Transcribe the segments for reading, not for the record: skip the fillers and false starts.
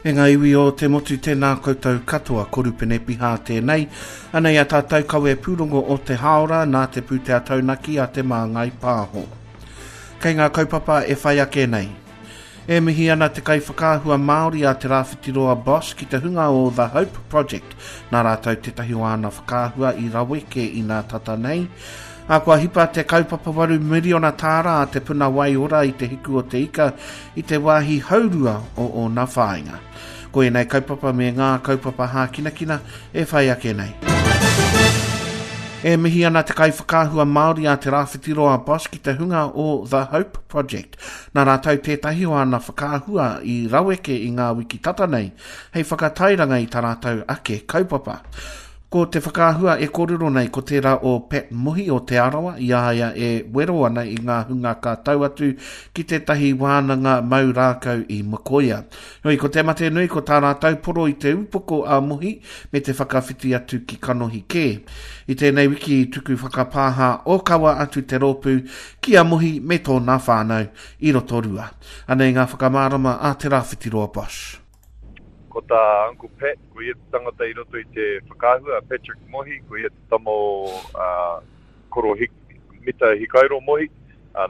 E ngā iwi o te motu tēnā koutou katoa, ko Rupene Piha tēnei. Anei a tātou kawe pūrongo o te hāora nā te pūtea taunaki a Te Māngai Pāho. Kei ngā kaupapa e whai ake nei. E mihi ana te kaiwhakaahua Māori a Te Rāwhitiroa Bosch ki te hunga o The Hope Project, nā rātou tētahi o āna whakaahua i raweke inā tata nei. Ā, kua hipa te kaupapa waru miriona tāra a Te Puna Waiora i Te Hiku o Te Ika i te wāhi haurua o ōna whāinga. Ko ēnei kaupapa me ngā kaupapa hākinakina e whai ake nei. E mihi ana te kaiwhakaahua Māori a Te Rāwhitiroa Bosch ki te hunga o The Hope Project. Nā rātou tētahi o āna whakaahua i raweke i ngā wiki tata nei hei whakatairanga i tā rātou ake kaupapa. Ko te whakaahua e kōrero nei ko tērā o Pat Mohi o Te Arawa i a ia e wero ana i ngā hunga ka tau atu ki tētahi wānanga mau rākau i Mokoia. Heoi, ko te mate nui ko tā rātou poro i te upoko a Mohi me te whakawhiti atu ki kanohi kē. I tēnei wiki i tuku whakapāha ōkawa atu te rōpū ki a Mohi me tōna whānau i Rotorua. Anei ngā whakamārama a Te Rāwhitiroa Bosch. Ko tā Uncle Pat, ko ia te tangata i roto i te whakaahua, a Patrick Mohi, ko ia te tama o Koro Mita Hikairo Mohi,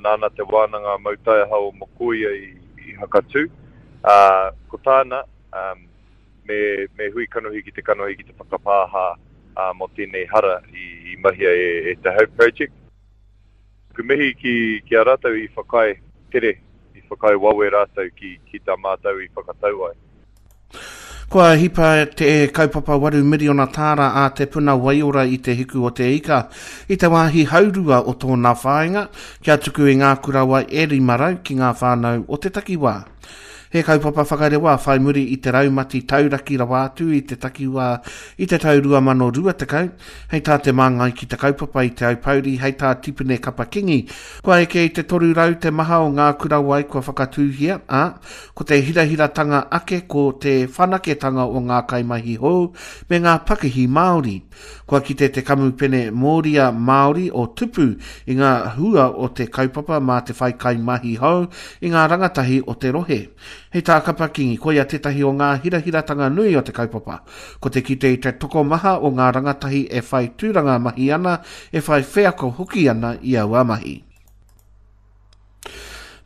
nāna te wānanga mau taiaha o Mokoia i Hakatū. Ko tāna, me, me hui kanohi ki te kanohi ki te whakapāha mō tēnei hara i mahia e, e te Hope Project. Ku mihi ki, ki a rātou i whakaae tere, i whakaae wawe rātou ki, ki tā mātou i whakatau ai. Kua hipa te kaupapa waru miriona tāra a Te Puna Waiora i Te Hiku o Te Ika i te wāhi haurua o tōna whāinga kia tuku i ngā kura wai e 500 ki ngā whānau o te takiwā. He kaupapa whakarewa whai muri i te raumati tauraki rawa atu i te takiwā i te tau 2020, hei tā te māngai ki te kaupapa i Te Aupōuri, hei tā Tipene Kapa Kingi, kua eke i te 300 te maha o ngā kura wai kua whakatūhia, ā, Ko te hirahiratanga ake ko te whanaketanga o ngā kaimahi hou me ngā pakihi Māori. Kua kite te kamupene Mōria Māori o Tupu i ngā hua o te kaupapa mā te whai kaimahi hou i ngā rangatahi o te rohe. Hei tā Kapa Kingi, koia tētahi o ngā hirahiratanga nui o te kaupapa. Ko te kite i te tokomaha o ngā rangatahi e whai tūranga mahi ana, e whai wheako hoki ana i aua mahi.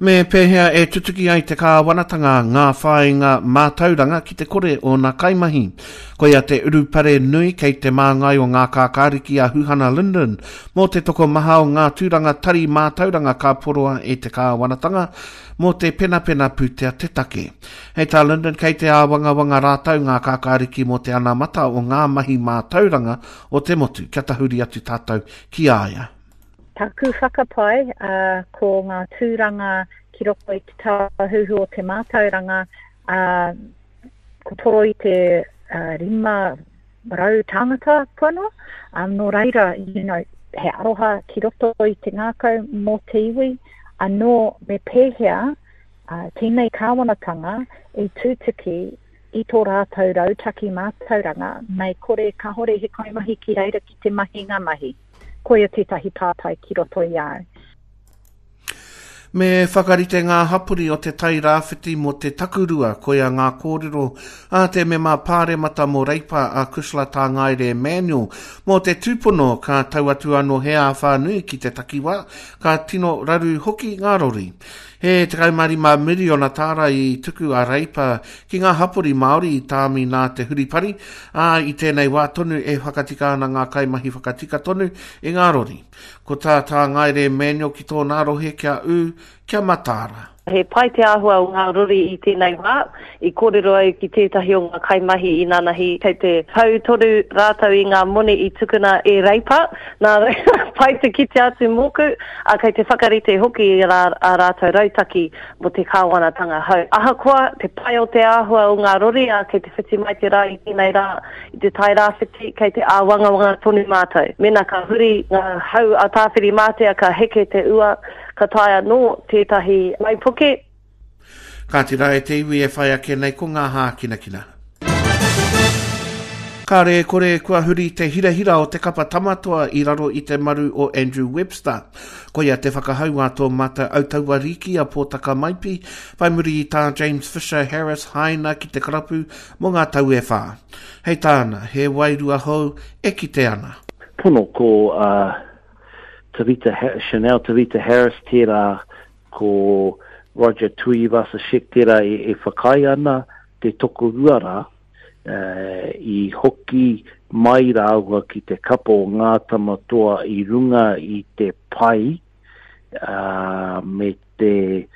Me pēhea e tutuki ai te kāwanatanga ngā whāinga mātauranga ki te kore ōna kaimahi? Koia te urupare nui kei te māngai o ngā kākāriki a Huhana Lyndon mō te tokomaha o ngā tūranga tari mātauranga ka poroa e te kāwanatanga mō te penapena pūtea te take. Hei tā Lyndon kei te āwangawanga rātou ngā kākāriki mō te anamata o ngā mahi mātauranga o te motu kia tahuri atu tātou ki a ia. Taku whakapae, ko ngā tūranga ki roto i te tāhuhu o te mātauranga, ko toro i te 500 tāngata kua noa, nō reira, you know, he aroha ki roto i te ngākau mō te iwi, anō me pēhea tēnei kāwanatanga i tutuki i tō rātou rautaki mātauranga, mei kore kāore he kaimahi ki reira ki te mahi ngā mahi. Koia tētahi pātai ki roto i a au. Me whakarite ngā hapori o Te Tai Rāwhiti mō te takurua, koia ngā kōrero a te mema pāremata mō Reipa a Cushla Tāngaere Manuel mō te tūpono ka tau atu anō he āwhā nui ki te takiwā, ka tino raru hoki ngā rori. He 15 miriona tāra i tuku a Reipa ki ngā hapori Māori i tāmi nā te huripari, ā, i tēnei wā tonu e whakatika ana ngā kaimahi whakatika tonu i ngā rori. Ko tā Tāngaere Manuel ki tōna rohe kia ū, kia mataara. He pai te āhua o ngā rori i tēnei wā. I kōrero au ki tētahi o ngā kaimahi inanahi, kei te hau tonu rātou i ngā moni i tukuna e Reipa, nā reira, pai te kite atu mōku, ā, kei te whakarite hoki i ā rātou rautaki mō te kāwanatanga hou. Ahakoa te pai o te āhua o ngā rori, ā, kei te whiti mai te rā i tēnei rā i te Tai Rāwhiti, kei te āwangawanga tonu mātou. Mēnā ka huri ngā hau a Tāwhirimātea ka heke te ua, ka taea anō tētahi waipuke. Kāti rā e te iwi e whai ake nei ko ngā hākinakina. Kāre e kore kua huri te hirahira o te kapa Tamatoa i raro i te maru o Andrew Webster. Koia te whakahau a tō mātou autaua rīki a Pōtaka Maipi, whai muri i tā James Fisher Harris haina ki te karapu mō ngā tau e whā. Hei tāna, he wairua hou e kite ana. Pono ko Tavita, Chanel Tavita Harris tērā, ko Roger Tuivasa-Sheck tērā e whakaae ana te tokorua rā, i hoki mai rāua ki te kapa o Ngā Tama Toa i runga i te pai me te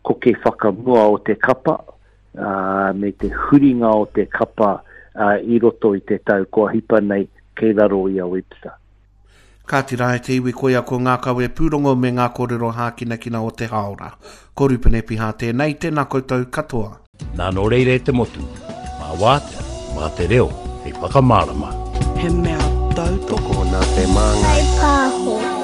koke whakamua o te kapa me te huringa o te kapa i roto i te tau kua hipa nei kei raro i a Webster. Kāti rā e te iwi koia ko ngā kawe pūrongo me ngā kōrero hākinakina o te hāora. Ko Rupene Piha tēnei, tēnā koutou katoa. Nā nō reira e te motu, mā wātea, mā te reo hei whakamārama. He mea tautoko nā te māngai. Pāho.